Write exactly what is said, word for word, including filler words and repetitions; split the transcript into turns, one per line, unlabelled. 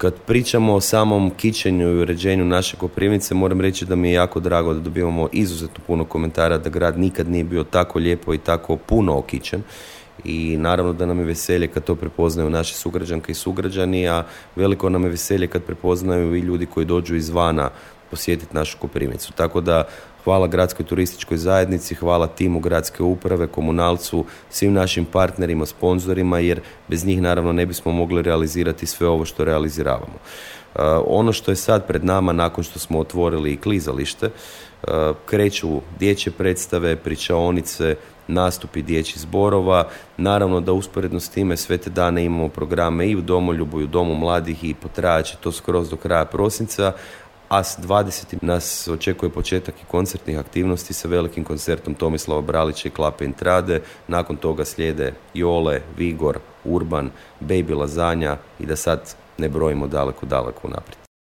Kad pričamo o samom kićenju i uređenju naše Koprivnice, moram reći da mi je jako drago da dobivamo izuzetno puno komentara da grad nikad nije bio tako lijepo i tako puno okićen. I naravno da nam je veselje kad to prepoznaju naše sugrađanke i sugrađani, a veliko nam je veselje kad prepoznaju i ljudi koji dođu izvana posjetiti našu Koprivnicu. Tako da hvala gradskoj turističkoj zajednici, hvala timu gradske uprave, komunalcu, svim našim partnerima, sponzorima, jer bez njih naravno ne bismo mogli realizirati sve ovo što realiziravamo. Uh, ono što je sad pred nama, nakon što smo otvorili i klizalište, uh, kreću dječje predstave, pričaonice, nastupi dječjih zborova. Naravno da usporedno s time sve te dane imamo programe i u Domoljubu i u Domu mladih i potrajat će to skroz do kraja prosinca, a s dvadesetim nas očekuje početak i koncertnih aktivnosti sa velikim koncertom Tomislava Bralića i Klape Intrade. Nakon toga slijede Jole, Vigor, Urban, Baby Lazanja i da sad ne brojimo daleko, daleko naprijed.